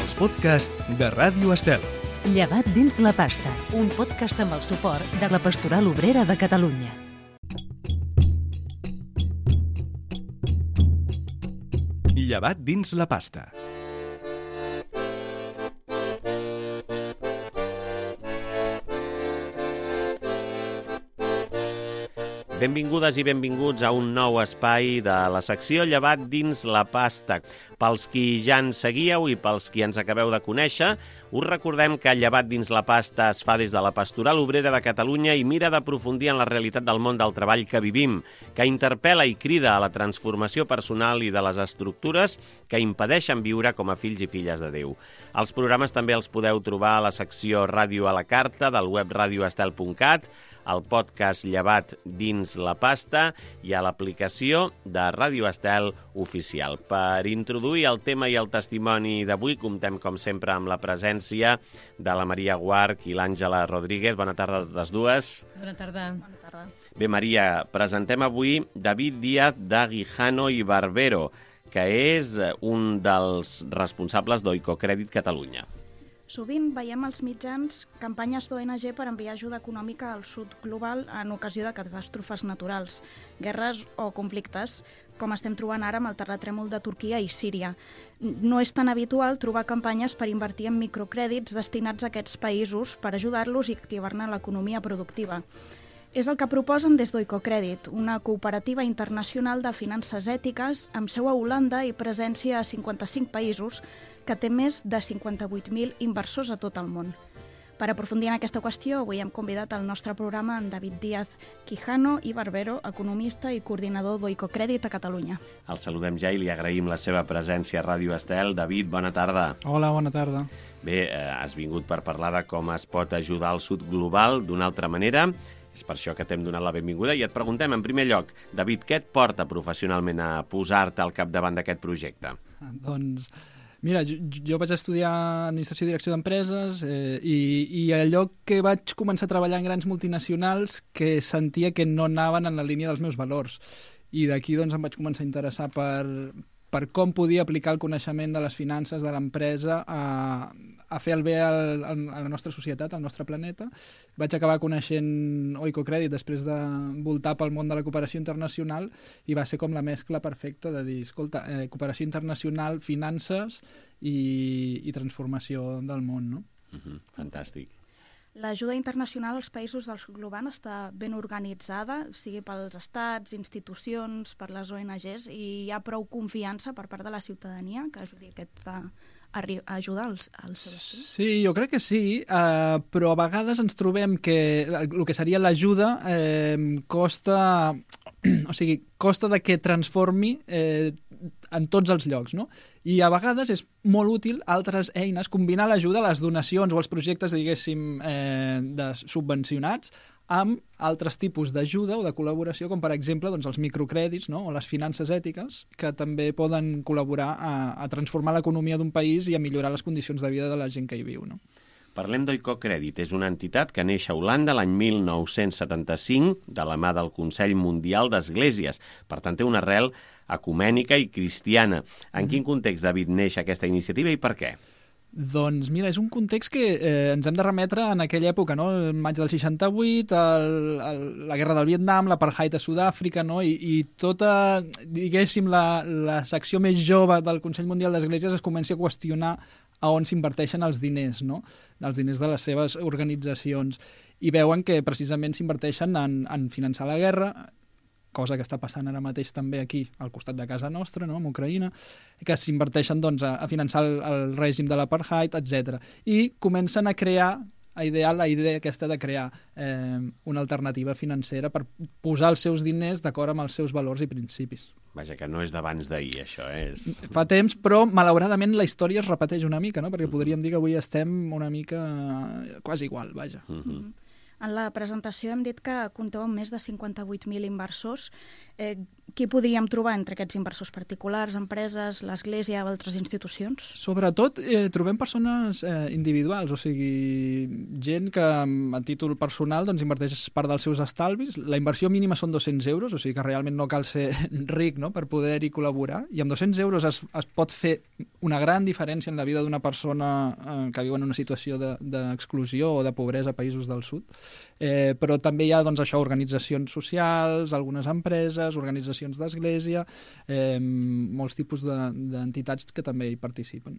els podcasts de Ràdio Estel. Llevat dins la pasta, un podcast amb el suport de la Pastoral Obrera de Catalunya. Llevat dins la pasta. Benvingudes i benvinguts a un nou espai de la secció Llevat dins la pasta. Pels qui ja ens seguíeu i pels qui ens acabeu de conèixer, us recordem que Llevat dins la pasta es fa des de la Pastoral Obrera de Catalunya i mira d'aprofundir en la realitat del món del treball que vivim, que interpel·la i crida a la transformació personal i de les estructures que impedeixen viure com a fills i filles de Déu. Els programes també els podeu trobar a la secció Ràdio a la Carta del web radioestel.cat, al podcast Llevat dins la pasta i a l'aplicació de Ràdio Estel oficial. Per introduir el tema i el testimoni d'avui, comptem, com sempre, amb la presència de la Maria Guarch i l'Àngela Rodríguez. Bona tarda a totes dues. Bona tarda. Bé, Maria, presentem avui David Díaz de Guijano i Barbero, que és un dels responsables d'Oicocrèdit Catalunya. Sovint veiem als mitjans campanyes d'ONG per enviar ajuda econòmica al sud global en ocasió de catàstrofes naturals, guerres o conflictes, com estem trobant ara amb el terratrèmol de Turquia i Síria. No és tan habitual trobar campanyes per invertir en microcrèdits destinats a aquests països per ajudar-los i activar-ne l'economia productiva. És el que proposen des d'Oicocrèdit, una cooperativa internacional de finances ètiques amb seu a Holanda i presència a 55 països, que té més de 58.000 inversors a tot el món. Per aprofundir en aquesta qüestió, avui hem convidat al nostre programa en David Díaz Guijano i Barbero, economista i coordinador d'Oicocrèdit a Catalunya. El saludem ja i li agraïm la seva presència a Ràdio Estel. David, bona tarda. Hola, bona tarda. Bé, has vingut per parlar de com es pot ajudar el sud global d'una altra manera. És per això que t'hem donat la benvinguda i et preguntem, en primer lloc, David, què et porta professionalment a posar-te al capdavant d'aquest projecte? Doncs, mira, jo vaig estudiar Administració i Direcció d'Empreses i allò que vaig començar a treballar en grans multinacionals que sentia que no anaven en la línia dels meus valors. I d'aquí doncs, em vaig començar a interessar per com podia aplicar el coneixement de les finances de l'empresa a fer el bé a la nostra societat, al nostre planeta. Vaig acabar coneixent Oicocrèdit després de voltar pel món de la cooperació internacional i va ser com la mescla perfecta de dir, escolta, cooperació internacional, finances i transformació del món, no? Fantàstic. L'ajuda internacional als països del sud global està ben organitzada, sigui pels estats, institucions, per les ONGs, i hi ha prou confiança per part de la ciutadania que ajudi a ajudar als seus fills? Sí, jo crec que sí, però a vegades ens trobem que el que seria l'ajuda costa de que transformi en tots els llocs, no? I a vegades és molt útil altres eines, combinar l'ajuda, les donacions o els projectes, diguéssim, subvencionats, amb altres tipus d'ajuda o de col·laboració, com per exemple doncs, els microcrèdits, no? O les finances ètiques, que també poden col·laborar a transformar l'economia d'un país i a millorar les condicions de vida de la gent que hi viu, no? Parlem d'Oicocrèdit. És una entitat que neix a Holanda l'any 1975 de la mà del Consell Mundial d'Esglésies. Per tant, té una arrel ecumènica i cristiana. En quin context, David, neix aquesta iniciativa i per què? Doncs mira, és un context que ens hem de remetre en aquella època, no? El maig del 68, la guerra del Vietnam, l'apartheid a Sud-àfrica, no? I tota, diguéssim, la secció més jove del Consell Mundial d'Esglésies es comença a qüestionar a on s'inverteixen els diners, no? Els diners de les seves organitzacions. I veuen que precisament s'inverteixen en finançar la guerra, cosa que està passant ara mateix també aquí, al costat de casa nostra, no?, amb Ucraïna, que s'inverteixen doncs, a finançar el règim de l'apartheid, etc. I comencen a crear, a idear la idea aquesta de crear una alternativa financera per posar els seus diners d'acord amb els seus valors i principis. Vaja, que no és d'abans d'ahir, això és... Fa temps, però malauradament la història es repeteix una mica, no?, perquè podríem dir que avui estem una mica quasi igual, vaja. En la presentació hem dit que compteu amb més de 58.000 inversors. qui podríem trobar entre aquests inversors particulars, empreses, l'Església o altres institucions? Sobretot trobem persones individuals, o sigui, gent que a títol personal doncs, inverteix part dels seus estalvis. La inversió mínima són 200 euros, o sigui que realment no cal ser ric, no?, per poder-hi col·laborar, i amb 200 euros es pot fer una gran diferència en la vida d'una persona que viu en una situació d'exclusió o de pobresa a països del sud. Però també hi ha doncs, això, organitzacions socials, algunes empreses, organitzacions d'església, molts tipus d'entitats que també hi participen.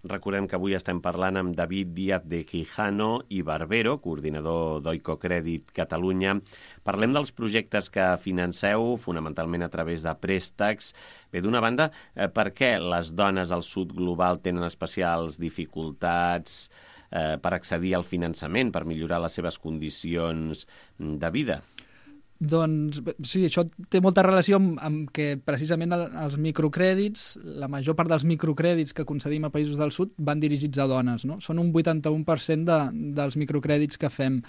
Recordem que avui estem parlant amb David Díaz de Quijano i Barbero, coordinador d'Oicocrèdit Catalunya. Parlem dels projectes que financeu, fonamentalment a través de préstecs. Bé, d'una banda, per què les dones al sud global tenen especials dificultats per accedir al finançament, per millorar les seves condicions de vida? Doncs sí, això té molta relació amb que precisament els microcrèdits, la major part dels microcrèdits que concedim a països del sud van dirigits a dones, no? Són un 81% dels microcrèdits que fem.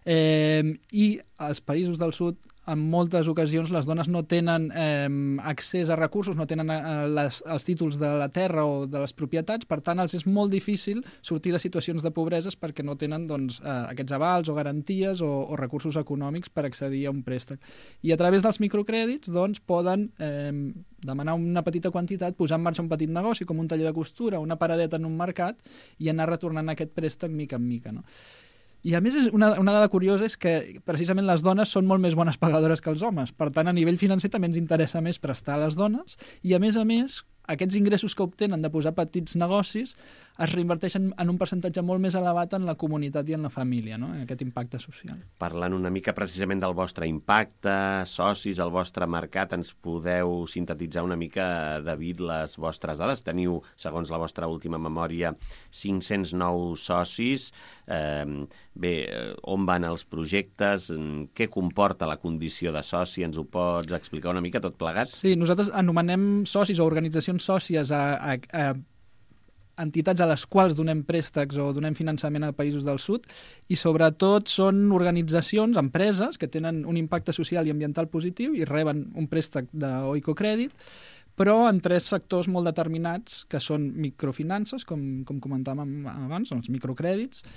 I als països del sud, en moltes ocasions, les dones no tenen accés a recursos, no tenen els títols de la terra o de les propietats, per tant, els és molt difícil sortir de situacions de pobreses perquè no tenen doncs, aquests avals o garanties o recursos econòmics per accedir a un préstec. I a través dels microcrèdits doncs, poden demanar una petita quantitat, posar en marxa un petit negoci com un taller de costura, una paradeta en un mercat i anar retornant aquest préstec mica en mica, no? I a més, una dada curiosa és que precisament les dones són molt més bones pagadores que els homes. Per tant, a nivell financer també ens interessa més prestar a les dones i, a més, aquests ingressos que obtenen de posar petits negocis es reinverteixen en un percentatge molt més elevat en la comunitat i en la família, no?, en aquest impacte social. Parlant una mica precisament del vostre impacte, socis, el vostre mercat, ens podeu sintetitzar una mica, David, les vostres dades? Teniu, segons la vostra última memòria, 509 socis. Bé, on van els projectes? Què comporta la condició de soci? Ens ho pots explicar una mica tot plegat? Sí, nosaltres anomenem socis o organitzacions sòcies a entitats a les quals donem préstecs o donem finançament a països del sud i sobretot són organitzacions, empreses que tenen un impacte social i ambiental positiu i reben un préstec d'Oicocrèdit, però en 3 sectors molt determinats que són microfinances, com comentàvem abans, els microcrèdits,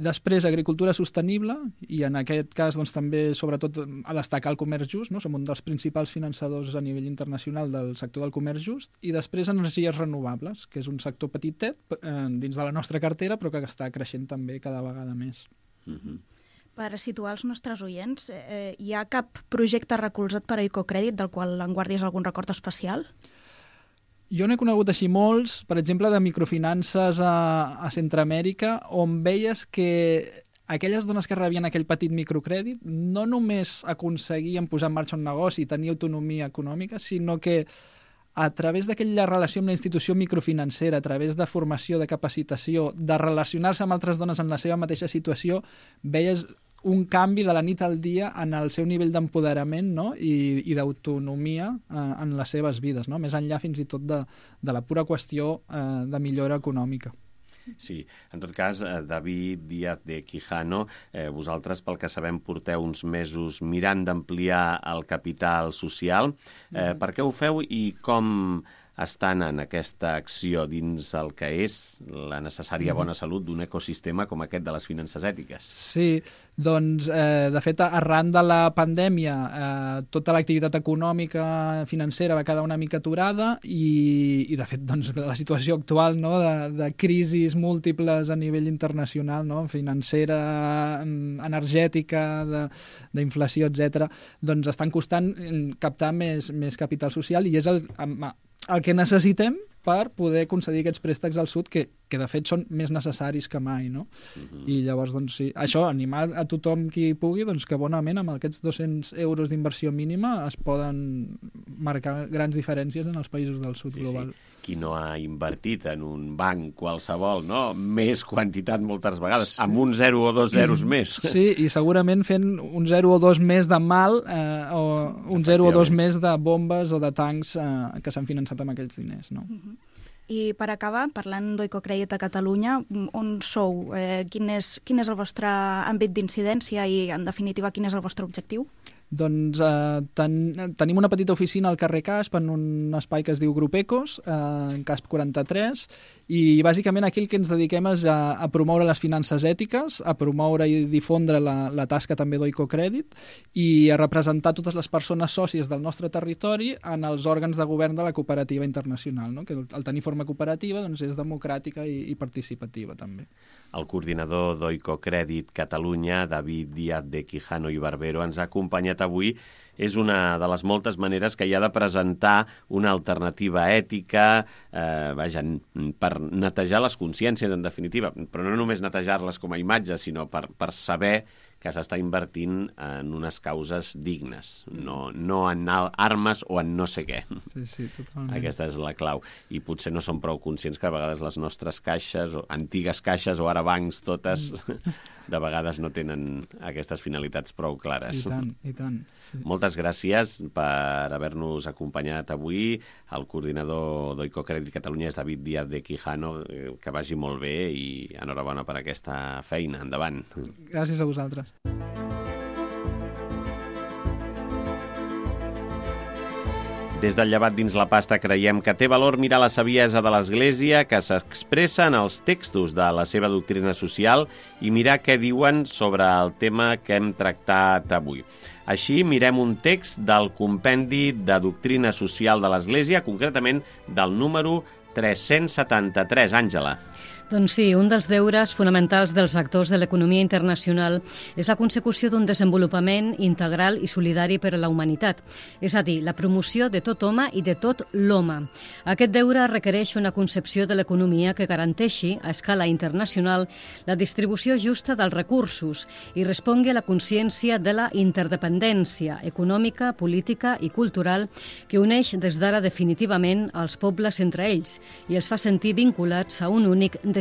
després agricultura sostenible i en aquest cas doncs, també sobretot a destacar el comerç just, no? Som un dels principals finançadors a nivell internacional del sector del comerç just, i després energies renovables, que és un sector petitet dins de la nostra cartera però que està creixent també cada vegada més. Per situar els nostres oients, hi ha cap projecte recolzat per Oicocrèdit del qual en guardis algun record especial? Jo n'he conegut així molts, per exemple, de microfinances a Centroamèrica, on veies que aquelles dones que rebien aquell petit microcrèdit no només aconseguien posar en marxa un negoci i tenir autonomia econòmica, sinó que a través d'aquella relació amb la institució microfinancera, a través de formació, de capacitació, de relacionar-se amb altres dones en la seva mateixa situació, veies un canvi de la nit al dia en el seu nivell d'empoderament, no? I d'autonomia en les seves vides, no? Més enllà fins i tot de la pura qüestió de millora econòmica. Sí, en tot cas, David Díaz de Quijano, vosaltres, pel que sabem, porteu uns mesos mirant d'ampliar el capital social. Per què ho feu i com estan en aquesta acció dins el que és la necessària bona salut d'un ecosistema com aquest de les finances ètiques? Sí, doncs, de fet, arran de la pandèmia, tota l'activitat econòmica financera va quedar una mica aturada i de fet, doncs, la situació actual, no?, de crisis múltiples a nivell internacional, no?, financera, energètica, d'inflació, etc., doncs estan costant captar més capital social i és el que necessitem per poder concedir aquests préstecs al sud, que de fet són més necessaris que mai, no? I llavors, doncs sí, això, animar a tothom qui pugui, doncs que bonament amb aquests 200 euros d'inversió mínima es poden marcar grans diferències en els països del sud global. Sí. Qui no ha invertit en un banc qualsevol, no? Més quantitat moltes vegades, amb un 0 o 2 zeros més. Sí, i segurament fent un 0 o 2 més de mal o un 0 o 2 més de bombes o de tancs que s'han finançat amb aquells diners, no? I per acabar, parlant d'Oicocrèdit a Catalunya, on sou? Quin és el vostre àmbit d'incidència i, en definitiva, quin és el vostre objectiu? Doncs tenim una petita oficina al carrer Casp, en un espai que es diu Grup Ecos, en Casp 43, i bàsicament aquí el que ens dediquem és a promoure les finances ètiques, a promoure i difondre la tasca també d'Oicocrèdit i a representar totes les persones sòcies del nostre territori en els òrgans de govern de la cooperativa internacional, no? Que al tenir forma cooperativa doncs, és democràtica i participativa també. El coordinador d'Oicocrèdit Catalunya, David Díaz de Quijano i Barbero, ens ha acompanyat avui. És una de les moltes maneres que hi ha de presentar una alternativa ètica, per netejar les consciències, en definitiva, però no només netejar-les com a imatge, sinó per saber que s'està invertint en unes causes dignes, no en armes o en no sé què. Sí, totalment. Aquesta és la clau. I potser no som prou conscients que a vegades les nostres caixes, o antigues caixes o ara bancs totes, de vegades no tenen aquestes finalitats prou clares. I tant. Sí. Moltes gràcies per haver-nos acompanyat avui. El coordinador d'Oicocrèdit Catalunya és David Díaz de Quijano. Que vagi molt bé i enhorabona per aquesta feina. Endavant. Gràcies a vosaltres. Des del Llevat dins la pasta creiem que té valor mirar la saviesa de l'Església que s'expressa en els textos de la seva doctrina social i mirar què diuen sobre el tema que hem tractat avui. Així, mirem un text del compendi de doctrina social de l'Església, concretament del número 373. Àngela. Doncs sí, un dels deures fonamentals dels actors de l'economia internacional és la consecució d'un desenvolupament integral i solidari per a la humanitat, és a dir, la promoció de tot home i de tot l'home. Aquest deure requereix una concepció de l'economia que garanteixi, a escala internacional, la distribució justa dels recursos i respongui a la consciència de la interdependència econòmica, política i cultural que uneix des d'ara definitivament els pobles entre ells i els fa sentir vinculats a un únic destí.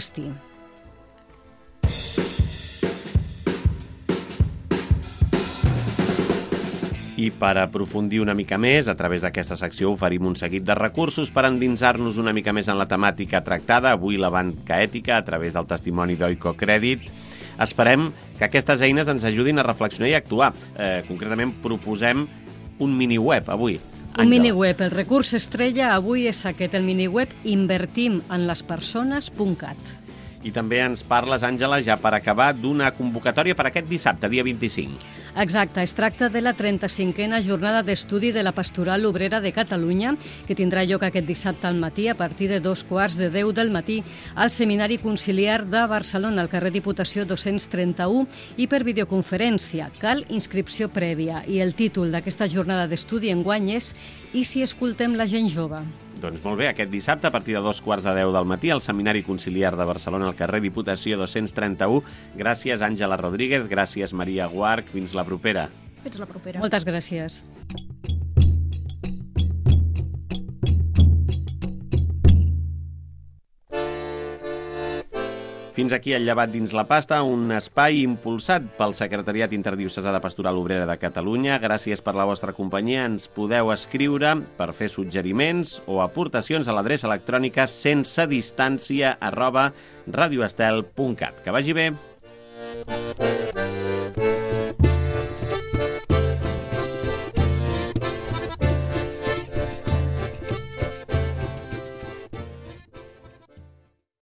I per aprofundir una mica més, a través d'aquesta secció oferim un seguit de recursos per endinsar-nos una mica més en la temàtica tractada, avui la banca ètica, a través del testimoni d'Oicocrèdit. Esperem que aquestes eines ens ajudin a reflexionar i actuar. Concretament, proposem un miniweb avui. Un miniweb. El recurs estrella avui és aquest, el miniweb invertimenlaspersones.cat. I també ens parles, Àngela, ja per acabar, d'una convocatòria per aquest dissabte, dia 25. Exacte, es tracta de la 35a jornada d'estudi de la Pastoral Obrera de Catalunya, que tindrà lloc aquest dissabte al matí a partir de 9:15 del matí al Seminari Conciliar de Barcelona, al carrer Diputació 231, i per videoconferència. Cal inscripció prèvia. I el títol d'aquesta jornada d'estudi enguany és «I si escoltem la gent jove?». Doncs molt bé, aquest dissabte, a partir de 9:15 del matí, al Seminari Conciliar de Barcelona, al carrer Diputació 231. Gràcies, Àngela Rodríguez. Gràcies, Maria Guarch. Fins la propera. Fins la propera. Moltes gràcies. Fins aquí el Llevat dins la pasta, un espai impulsat pel Secretariat Interdiocesà de Pastoral Obrera de Catalunya. Gràcies per la vostra companyia. Ens podeu escriure per fer suggeriments o aportacions a l'adreça electrònica sensedistància@radioestel.cat. Que vagi bé.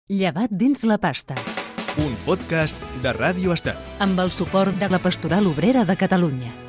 Llevat dins la pasta. Un podcast de Ràdio Estel. Amb el suport de la Pastoral Obrera de Catalunya.